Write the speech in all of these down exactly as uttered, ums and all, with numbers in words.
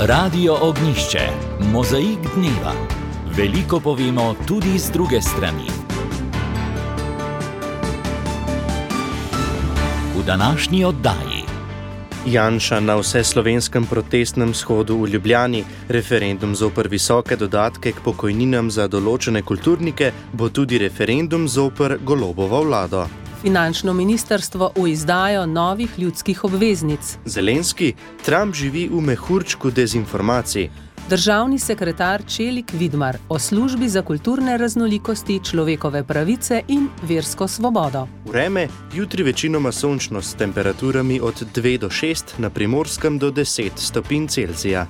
Radio Ognjišče, mozaik dneva. Veliko povemo tudi z druge strani. V današnji oddaji. Janša na vseslovenskem protestnem shodu v Ljubljani, referendum zoper visoke dodatke k pokojninam za določene kulturnike, bo tudi referendum zoper Golobovo vlado. Finančno ministrstvo v izdajo novih ljudskih obveznic. Zelenski, Trump živi v mehurčku dezinformacij. Državni sekretar Čelik Vidmar o službi za kulturne raznolikosti, človekove pravice in versko svobodo. Vreme, jutri večinoma sončno s temperaturami od dve do šest, na Primorskem do deset stopinj Celzija.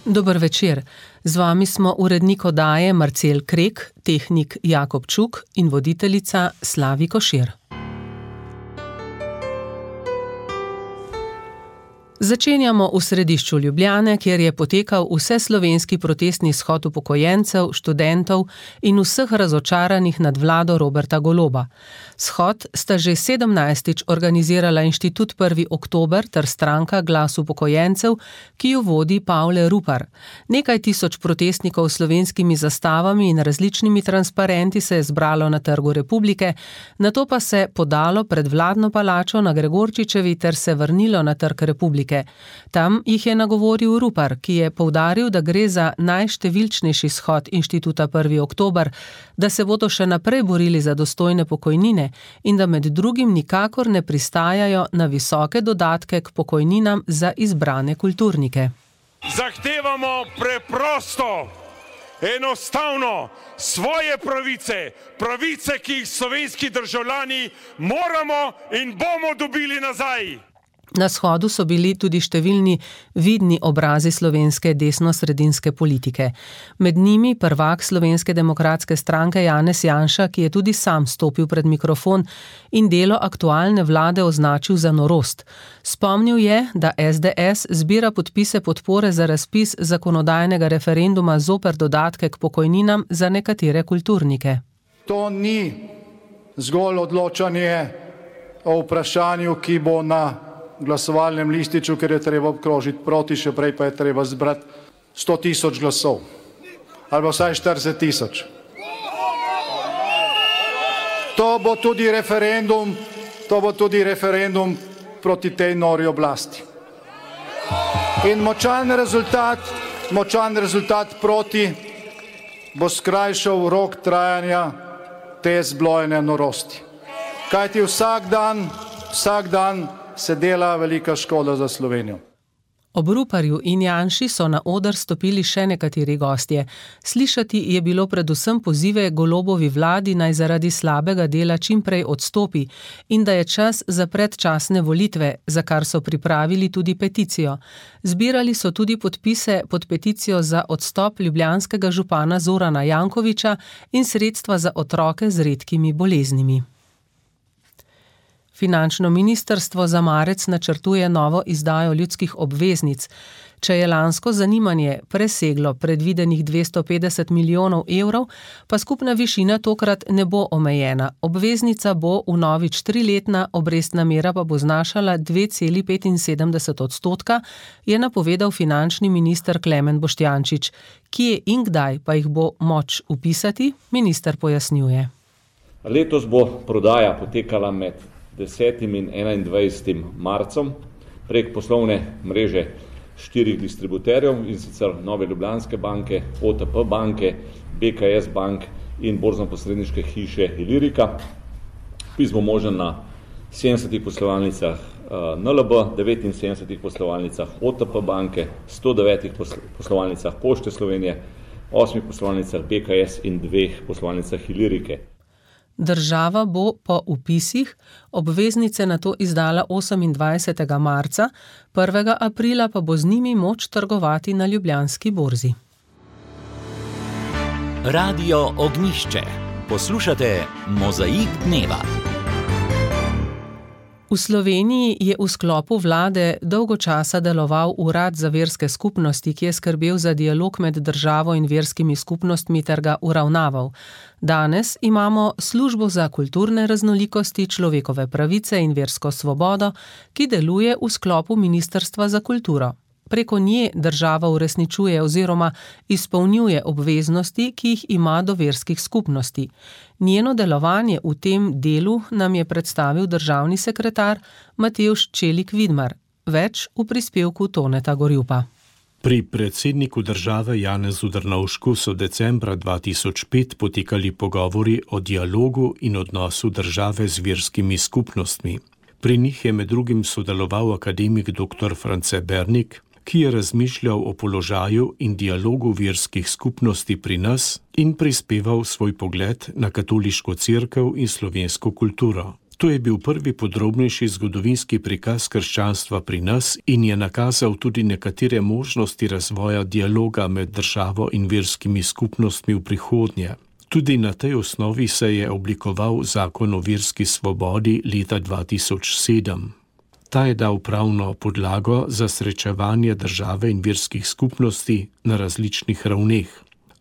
Dober večer. Z vami smo urednik oddaje Marcel Krek, tehnik Jakob Čuk in voditeljica Slavi Košir. Začenjamo v središču Ljubljane, kjer je potekal vseslovenski protestni shod upokojencev, študentov in vseh razočaranih nad vlado Roberta Goloba. Shod sta že sedemnajstič organizirala Inštitut prvi oktober ter stranka Glas upokojencev, ki jo vodi Pavle Rupar. Nekaj tisoč protestnikov s slovenskimi zastavami in različnimi transparenti se je zbralo na Trgu Republike, nato pa se podalo pred vladno palačo na Gregorčičevi ter se vrnilo na Trg Republike. Tam jih je nagovoril Rupar, ki je poudaril, da gre za najštevilčnejši shod Inštituta prvi oktober, da se bodo še naprej borili za dostojne pokojnine in da med drugim nikakor ne pristajajo na visoke dodatke k pokojninam za izbrane kulturnike. Zahtevamo preprosto, enostavno svoje pravice, pravice, ki jih slovenski državljani moramo in bomo dobili nazaj. Na shodu so bili tudi številni vidni obrazi slovenske desno-sredinske politike. Med njimi prvak Slovenske demokratske stranke Janez Janša, ki je tudi sam stopil pred mikrofon in delo aktualne vlade označil za norost. Spomnil je, da es de es zbira podpise podpore za razpis zakonodajnega referenduma zoper dodatke k pokojninam za nekatere kulturnike. To ni zgolj odločanje o vprašanju, ki bo na glasovalnem lističu, ker je treba obkrožiti proti, še prej pa je treba zbrati sto tisoč glasov. Ali vsaj štirideset tisoč. To bo tudi referendum, to bo tudi referendum proti tej nori oblasti. In močan rezultat, močan rezultat proti bo skrajšal rok trajanja te zblojene norosti. Kajti vsak dan, vsak dan se dela velika škoda za Slovenijo. Ob Ruparju in Janši so na oder stopili še nekateri gostje. Slišati je bilo predvsem pozive Golobovi vladi naj zaradi slabega dela čimprej odstopi in da je čas za predčasne volitve, za kar so pripravili tudi peticijo. Zbirali so tudi podpise pod peticijo za odstop ljubljanskega župana Zorana Jankovića in sredstva za otroke z redkimi boleznimi. Finančno ministrstvo za marec načrtuje novo izdajo ljudskih obveznic. Če je lansko zanimanje preseglo predvidenih dvesto petdeset milijonov evrov, pa skupna višina tokrat ne bo omejena. Obveznica bo vnovič triletna, obrestna mera pa bo znašala dve celi petinsedemdeset odstotka, je napovedal finančni minister Klemen Boštjančič. Kje in kdaj pa jih bo moč vpisati, minister pojasnjuje. Letos bo prodaja potekala med desetim in enaindvajsetim marcem prek poslovne mreže štirih distributerjev, in sicer Nove Ljubljanske banke, o te pe banke, be ka es bank in borzno-posredniške hiše Ilirika. Vpis bo možen na sedemdesetih poslovalnicah en el be, devetinsedemdesetih poslovalnicah o te pe banke, sto devetih poslovalnicah Pošte Slovenije, osmih poslovalnicah be ka es in dveh poslovalnicah Ilirike. Država bo po vpisih obveznice nato izdala osemindvajsetega marca, prvega aprila pa bo z njimi moč trgovati na Ljubljanski borzi. Radio Ognjišče. Poslušate Mozaik dneva. V Sloveniji je v sklopu vlade dolgo časa deloval Urad za verske skupnosti, ki je skrbel za dialog med državo in verskimi skupnostmi ter ga uravnaval. Danes imamo Službo za kulturne raznolikosti, človekove pravice in versko svobodo, ki deluje v sklopu Ministrstva za kulturo. Preko nje država uresničuje oziroma izpolnjuje obveznosti, ki jih ima do verskih skupnosti. Njeno delovanje v tem delu nam je predstavil državni sekretar Matevž Čelik Vidmar. Več v prispevku Toneta Gorjupa. Pri predsedniku države Janezu Drnovšku so decembra dva tisoč pet potekali pogovori o dialogu in odnosu države z verskimi skupnostmi. Pri njih je med drugim sodeloval akademik doktor France Bernik, ki je razmišljal o položaju in dialogu verskih skupnosti pri nas in prispeval svoj pogled na katoliško cerkev in slovensko kulturo. To je bil prvi podrobnejši zgodovinski prikaz krščanstva pri nas in je nakazal tudi nekatere možnosti razvoja dialoga med državo in verskimi skupnostmi v prihodnje. Tudi na tej osnovi se je oblikoval zakon o verski svobodi leta dva tisoč sedem. Ta je dal pravno podlago za srečevanje države in verskih skupnosti na različnih ravneh.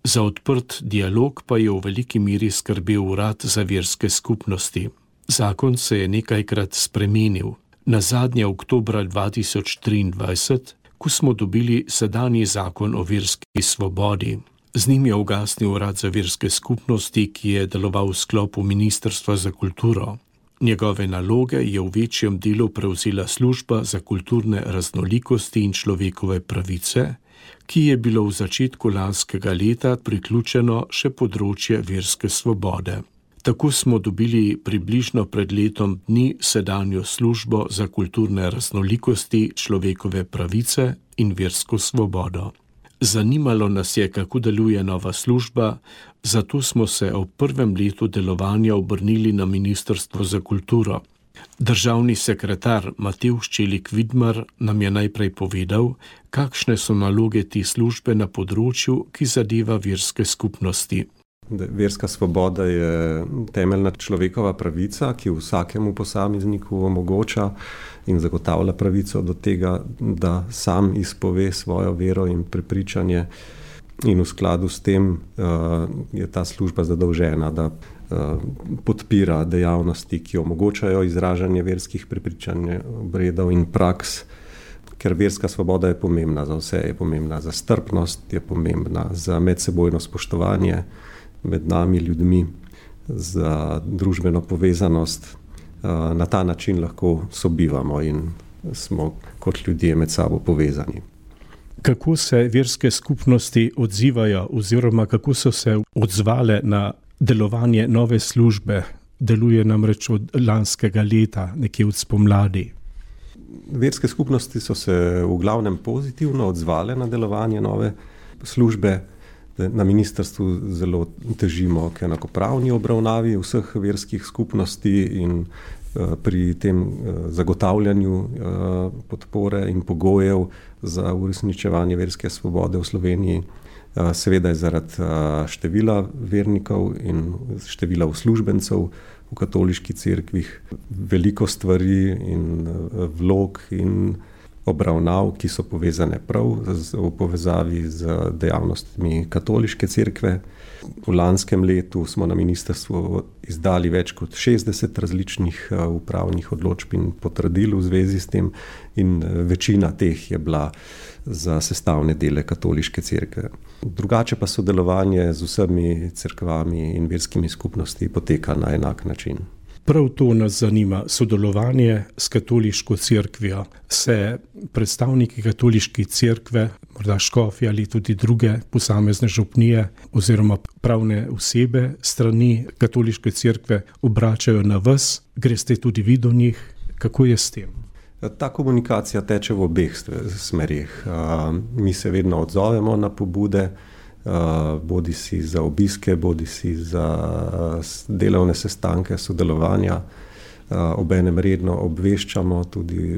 Za odprt dialog pa je v veliki meri skrbel Urad za verske skupnosti. Zakon se je nekajkrat spremenil. Nazadnje oktobra dva tisoč triindvajset, ko smo dobili sedanji zakon o verski svobodi. Z njim je ugasnil Urad za verske skupnosti, ki je deloval v sklopu Ministrstva za kulturo. Njegove naloge je v večjem delu prevzela Služba za kulturne raznolikosti in človekove pravice, ki je bilo v začetku lanskega leta priključeno še področje verske svobode. Tako smo dobili približno pred letom dni sedanjo Službo za kulturne raznolikosti, človekove pravice in versko svobodo. Zanimalo nas je, kako deluje nova služba, zato smo se ob prvem letu delovanja obrnili na Ministrstvo za kulturo. Državni sekretar Matevž Čelik Vidmar nam je najprej povedal, kakšne so naloge te službe na področju, ki zadeva verske skupnosti. Verska svoboda je temeljna človekova pravica, ki vsakemu posamezniku omogoča in zagotavlja pravico do tega, da sam izpove svojo vero in prepričanje. In v skladu s tem uh, je ta služba zadolžena, da uh, podpira dejavnosti, ki omogočajo izražanje verskih prepričanj, obredov in praks, ker verska svoboda je pomembna za vse, je pomembna za strpnost, je pomembna za medsebojno spoštovanje med nami ljudmi, za družbeno povezanost. Na ta način lahko sobivamo in smo kot ljudje med sabo povezani. Kako se verske skupnosti odzivajo oziroma kako so se odzvale na delovanje nove službe? Deluje namreč od lanskega leta, nekje od spomladi. Verske skupnosti so se v glavnem pozitivno odzvale na delovanje nove službe. Na ministrstvu zelo težimo k enakopravni obravnavi vseh verskih skupnosti in pri tem zagotavljanju podpore in pogojev za uresničevanje verske svobode v Sloveniji. Seveda je zaradi števila vernikov in števila uslužbencev v katoliški cerkvih veliko stvari in vlog in obravnav, ki so povezane prav v povezavi z dejavnostmi katoliške cerkve. V lanskem letu smo na ministrstvu izdali več kot šestdeset različnih upravnih odločb in potrdil v zvezi s tem in večina teh je bila za sestavne dele katoliške cerkve. Drugače pa sodelovanje z vsemi cerkvami in verskimi skupnosti poteka na enak način. Prav to nas zanima, sodelovanje s katoliško cerkvijo. Se predstavniki katoliške cerkve, morda škofje ali tudi druge posamezne župnije oziroma pravne osebe strani katoliške cerkve obračajo na vas, greste tudi vi do njih, kako je s tem? Ta komunikacija teče v obeh smerih. Mi se vedno odzovemo na pobude, bodi si za obiske, bodi si za delovne sestanke, sodelovanja. Obenem redno obveščamo tudi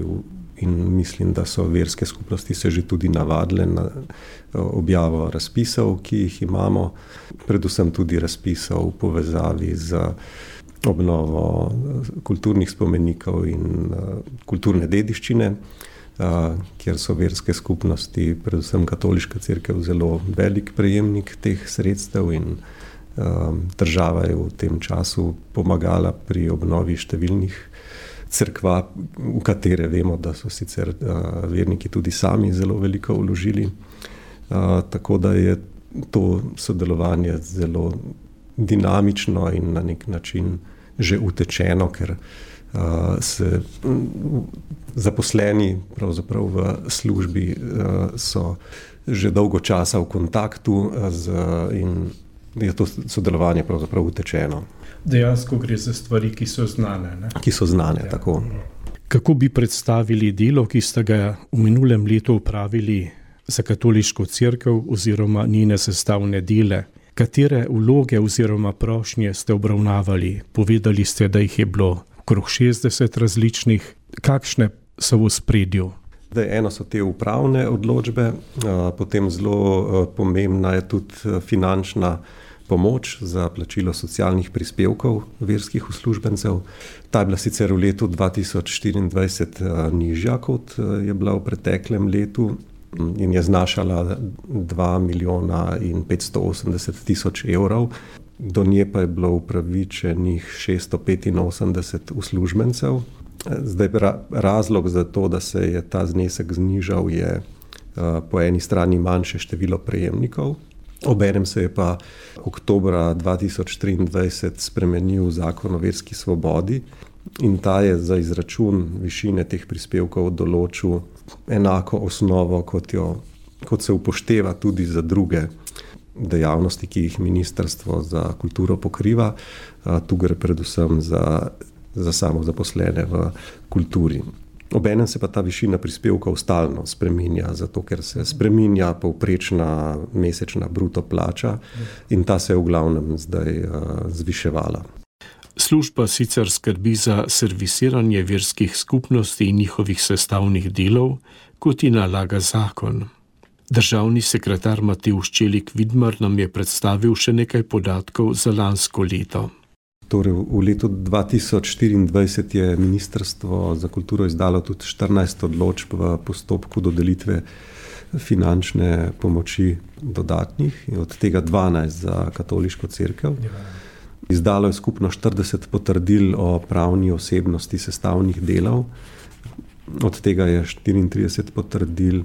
in mislim, da so verske skupnosti se že tudi navadile na objavo razpisov, ki jih imamo, predvsem tudi razpisov v povezavi z obnovo kulturnih spomenikov in kulturne dediščine, kjer so verske skupnosti, predvsem katoliška cerkev, zelo velik prejemnik teh sredstev in država je v tem času pomagala pri obnovi številnih cerkva, v katere vemo, da so sicer verniki tudi sami zelo veliko vložili. Tako da je to sodelovanje zelo dinamično in na nek način že utečeno, ker uh, se um, zaposleni pravzaprav v službi uh, so že dolgo časa v kontaktu z, in je to sodelovanje pravzaprav utečeno. Dejansko gre za stvari, ki so znane. Ne? Ki so znane, ja. Tako. Kako bi predstavili delo, ki ste ga v minulem letu upravili za katoliško cerkev oziroma njene sestavne dele? Katere vloge oziroma prošnje ste obravnavali? Povedali ste, da jih je bilo okrog šestdeset različnih. Kakšne so v ospredju? Eno so te upravne odločbe, potem zelo pomembna je tudi finančna pomoč za plačilo socialnih prispevkov verskih uslužbencev. Ta je bila sicer v letu dva tisoč štiriindvajset nižja, kot je bila v preteklem letu, in je znašala dva milijona in petsto osemdeset tisoč evrov. Do nje pa je bilo upravičenih šeststo petinosemdeset uslužbencev. Zdaj, razlog za to, da se je ta znesek znižal, je po eni strani manjše število prejemnikov. Obenem se je pa oktobra dva tisoč triindvajset spremenil zakon o verski svobodi in ta je za izračun višine teh prispevkov določil enako osnovo, kot, jo, kot se upošteva tudi za druge dejavnosti, ki jih Ministrstvo za kulturo pokriva. Tu gre predvsem za, za samozaposlene v kulturi. Obenem se pa ta višina prispevkov stalno spreminja, zato ker se spreminja povprečna mesečna bruto plača in ta se je v glavnem zdaj uh, zviševala. Služba sicer skrbi za servisiranje verskih skupnosti in njihovih sestavnih delov, kot ji nalaga zakon. Državni sekretar Matevž Čelik Vidmar nam je predstavil še nekaj podatkov za lansko leto. Torej, v letu dva tisoč štiriindvajset je Ministrstvo za kulturo izdalo tudi štirinajst odločb v postopku dodelitve finančne pomoči dodatnih, od tega dvanajst za katoliško cerkev. Izdalo je skupno štirideset potrdil o pravni osebnosti sestavnih delov, od tega je štiriintrideset potrdil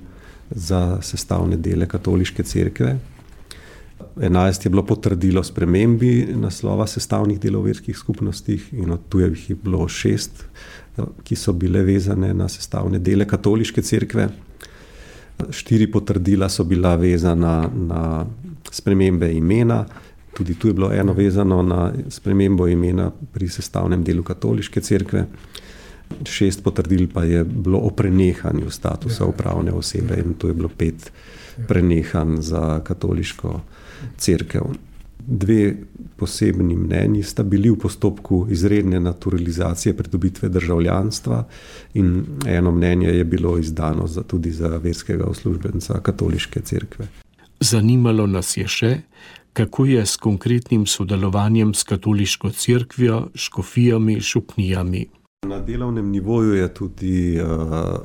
za sestavne dele katoliške cerkve. enajst je bilo potrdilo spremembi naslova sestavnih delov verskih skupnostih in od tujih je bilo šest, ki so bile vezane na sestavne dele katoliške cerkve. Štiri potrdila so bila vezana na spremembe imena, tudi tu je bilo eno vezano na spremembo imena pri sestavnem delu katoliške cerkve. Šest potrdil pa je bilo o prenehanju statusa upravne osebe in tu je bilo pet prenehanj za katoliško cerkev. Dve posebni mnenji sta bili v postopku izredne naturalizacije pridobitve državljanstva in eno mnenje je bilo izdano za, tudi za verskega uslužbenca katoliške cerkve. Zanimalo nas je še, kako je s konkretnim sodelovanjem s katoliško cerkvijo, škofijami, župnijami. Na delovnem nivoju je tudi uh,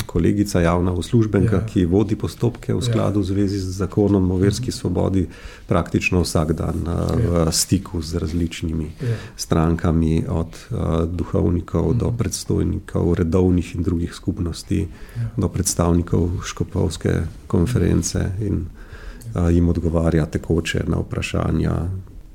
kolegica javna uslužbenka, ja. ki vodi postopke v skladu v zvezi z zakonom o verski svobodi, praktično vsak dan uh, ja. v stiku z različnimi ja. strankami, od uh, duhovnikov mm. do predstojnikov redovnih in drugih skupnosti, ja. do predstavnikov škofovske konference in uh, jim odgovarja tekoče na vprašanja,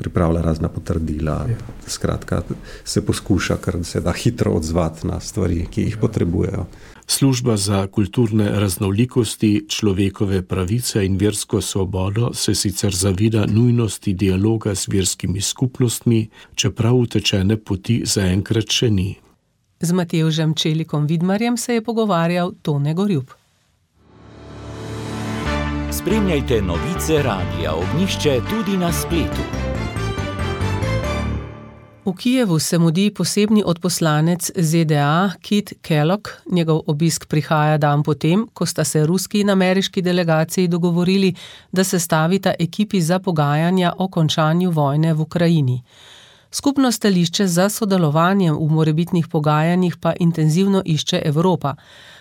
pripravlja razna potrdila, ja. skratka se poskuša, kar se da hitro odzvati na stvari, ki jih ja. potrebujejo. Služba za kulturne raznolikosti, človekove pravice in versko svobodo se sicer zavida nujnosti dialoga s verskimi skupnostmi, čeprav utečene poti zaenkrat še ni. Z Matevžem Čelikom Vidmarjem se je pogovarjal Tone Gorjup. Spremljajte novice Radia Ognjišče tudi na spletu. V Kijevu se mudi posebni odposlanec Z D A Kit Kellogg. Njegov obisk prihaja dan potem, ko sta se ruski in ameriški delegaciji dogovorili, da se stavita ekipi za pogajanja o končanju vojne v Ukrajini. Skupno stališče za sodelovanjem v morebitnih pogajanjih pa intenzivno išče Evropa.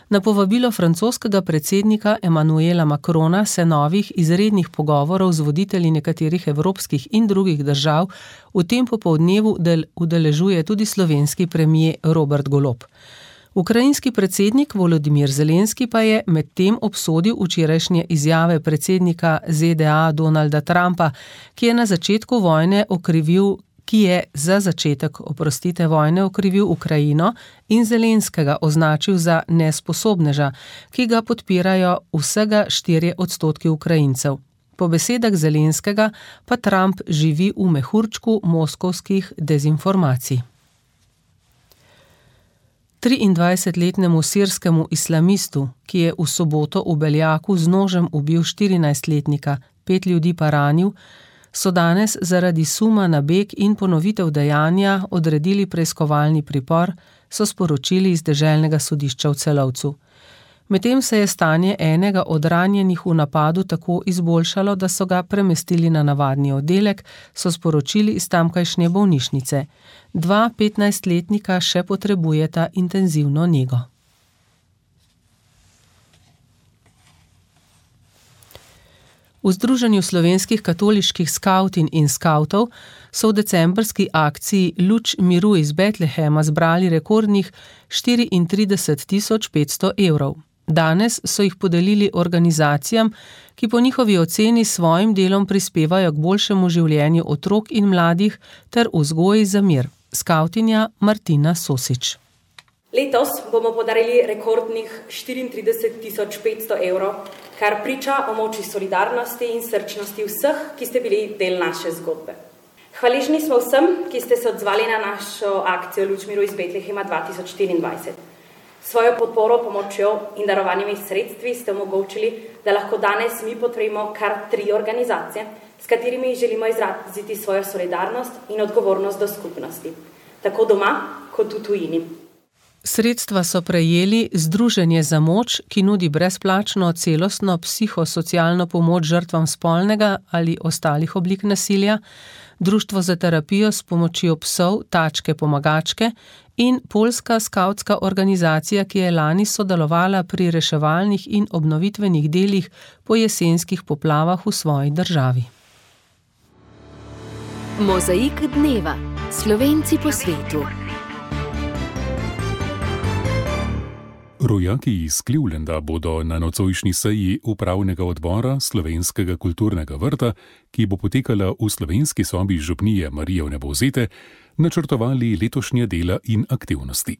Na povabilo francoskega predsednika Emmanuela Macrona se novih izrednih pogovorov z voditelji nekaterih evropskih in drugih držav v tem popoldnevu del udeležuje tudi slovenski premier Robert Golob. Ukrajinski predsednik Volodimir Zelenski pa je medtem obsodil včerajšnje izjave predsednika Z D A Donalda Trumpa, ki je na začetku vojne okrivil ki je za začetek, oprostite, vojne okrivil Ukrajino in Zelenskega označil za nesposobneža, ki ga podpirajo vsega štirje odstotki Ukrajincev. Po besedah Zelenskega pa Trump živi v mehurčku moskovskih dezinformacij. triindvajsetletnemu sirskemu islamistu, ki je v soboto v Beljaku z nožem ubil štirinajstletnika, pet ljudi pa ranil, so danes zaradi suma na beg in ponovitev dejanja odredili preiskovalni pripor, so sporočili iz deželnega sodišča v Celovcu. Medtem se je stanje enega od ranjenih v napadu tako izboljšalo, da so ga premestili na navadni oddelek, so sporočili iz tamkajšnje bolnišnice. Dva petnajstletnika še potrebujeta intenzivno nego. V Združenju slovenskih katoliških skavtin in skavtov so v decembrski akciji Luč miru iz Betlehema zbrali rekordnih štiriintrideset tisoč petsto evrov. Danes so jih podelili organizacijam, ki po njihovi oceni s svojim delom prispevajo k boljšemu življenju otrok in mladih ter vzgoji za mir. Skavtinja Martina Sosič. Letos bomo podarili rekordnih štiriintrideset tisoč petsto evrov, kar priča o moči solidarnosti in srčnosti vseh, ki ste bili del naše zgodbe. Hvaležni smo vsem, ki ste se odzvali na našo akcijo Luč miru iz Betlehema dva tisoč štiriindvajset. Svojo podporo, pomočjo in darovanimi sredstvi ste omogočili, da lahko danes mi podpremo kar tri organizacije, s katerimi želimo izraziti svojo solidarnost in odgovornost do skupnosti, tako doma kot v tujini. Sredstva so prejeli Združenje za moč, ki nudi brezplačno celostno psihosocialno pomoč žrtvam spolnega ali ostalih oblik nasilja, Društvo za terapijo s pomočjo psov Tačke pomagačke in Poljska skavtska organizacija, ki je lani sodelovala pri reševalnih in obnovitvenih delih po jesenskih poplavah v svoji državi. Mozaik dneva. Slovenci po svetu. Rojaki iz Clevelanda bodo na nocojšnji seji upravnega odbora Slovenskega kulturnega vrta, ki bo potekala v slovenski sobi župnije Marije Vnebovzete, načrtovali letošnje dela in aktivnosti.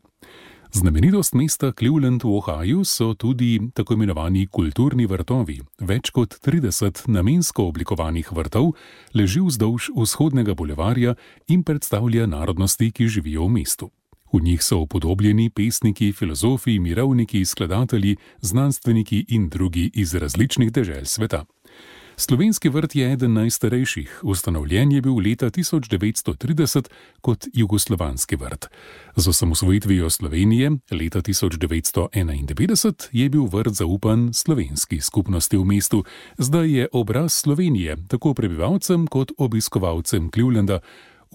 Znamenitost mesta Cleveland v Ohaju so tudi tako imenovani kulturni vrtovi. Več kot trideset namensko oblikovanih vrtov leži vzdolž vzhodnega bulevarja in predstavlja narodnosti, ki živijo v mestu. V njih so upodobljeni pesniki, filozofi, mirovniki, skladatelji, znanstveniki in drugi iz različnih dežel sveta. Slovenski vrt je eden najstarejših, ustanovljen je bil leta tisoč devetsto trideset kot jugoslovanski vrt. Z osamosvojitvijo Slovenije leta tisoč devetsto enaindevetdeset je bil vrt zaupan slovenski skupnosti v mestu, zdaj je obraz Slovenije tako prebivalcem kot obiskovalcem Clevelanda.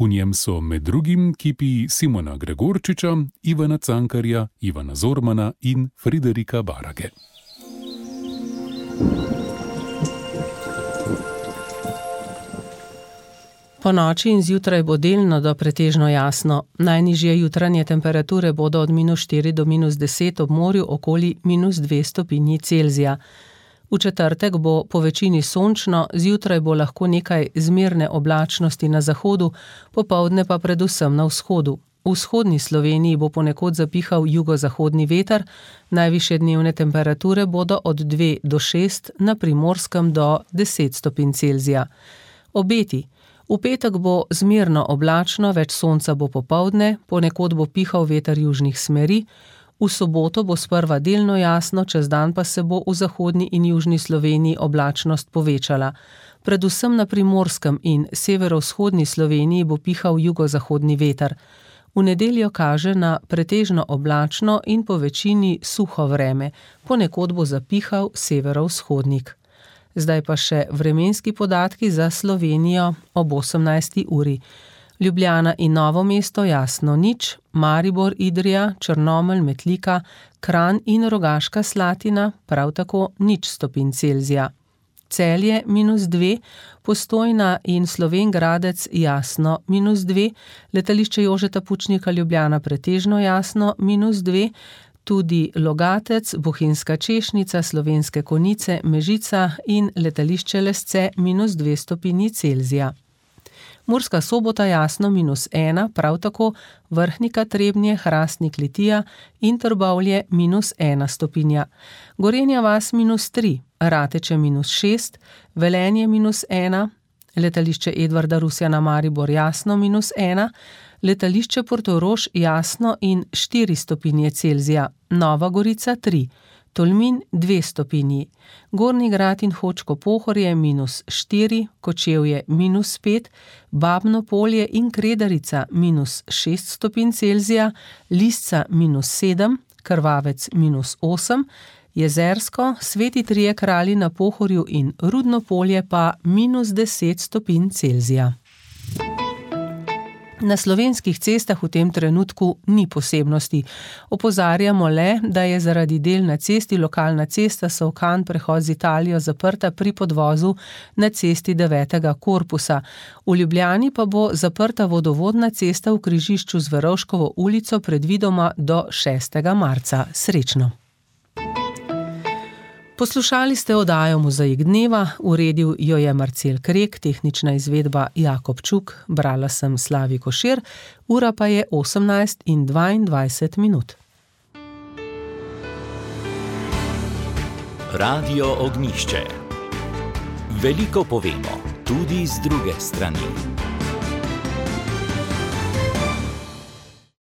V njem so med drugim kipi Simona Gregorčiča, Ivana Cankarja, Ivana Zormana in Friderika Barage. Po noči in zjutraj bo delno do pretežno jasno. Najnižje jutranje temperature bodo od minus štiri do minus deset, ob morju okoli minus dve stopinji Celzija. V četrtek bo po večini sončno, zjutraj bo lahko nekaj zmerne oblačnosti na zahodu, popoldne pa predvsem na vzhodu. V vzhodni Sloveniji bo ponekod zapihal jugozahodni veter, najvišje dnevne temperature bodo od dve do šest, na Primorskem do deset stopinj Celzija. Obeti. V petek bo zmerno oblačno, več sonca bo popoldne, ponekod bo pihal veter južnih smeri. V soboto bo sprva delno jasno, čez dan pa se bo v zahodni in južni Sloveniji oblačnost povečala. Predvsem na Primorskem in severovzhodni Sloveniji bo pihal jugozahodni veter. V nedeljo kaže na pretežno oblačno in po večini suho vreme, ponekod bo zapihal severovzhodnik. Zdaj pa še vremenski podatki za Slovenijo ob osemnajsti uri. Ljubljana in Novo mesto jasno nič, Maribor, Idrija, Črnomelj, Metlika, Kranj in Rogaška Slatina prav tako nič stopinj Celzija. Celje minus dve, Postojna in Slovenj Gradec jasno minus dve, letališče Jožeta Pučnika Ljubljana pretežno jasno minus dve, tudi Logatec, Bohinjska Češnica, Slovenske Konjice, Mežica in letališče Lesce minus dve stopinji Celzija. Murska Sobota jasno minus ena, prav tako Vrhnika, Trebnje, Hrastnik, Litija in Trbovlje minus ena stopinja. Gorenja vas minus tri, Rateče minus šest, Velenje minus ena, letališče Edvarda Rusjana Maribor jasno minus ena, letališče Portorož jasno in štiri stopinje Celzija, Nova Gorica tri, Tolmin dve stopinji, Gornji Grad in Hočko Pohorje minus štiri, Kočevje minus pet, Babno Polje in Kredarica minus šest stopinj Celzija, Lisca minus sedem, Krvavec minus osem, Jezersko, Sveti Trije Kralji na Pohorju in Rudno Polje pa minus deset stopinj Celzija. Na slovenskih cestah v tem trenutku ni posebnosti. Opozarjamo le, da je zaradi del na cesti lokalna cesta Solkan prehod z Italijo zaprta pri podvozu na cesti devetega korpusa. V Ljubljani pa bo zaprta vodovodna cesta v križišču z Verovškovo ulico predvidoma do šestega marca. Srečno! Poslušali ste oddajo Mozaik dneva, uredil jo je Marcel Krek, tehnična izvedba Jakob Čuk, brala sem Slavi Košir, ura pa je osemnajst in dvaindvajset minut. Radio Ognjišče. Veliko povemo, tudi z druge strani.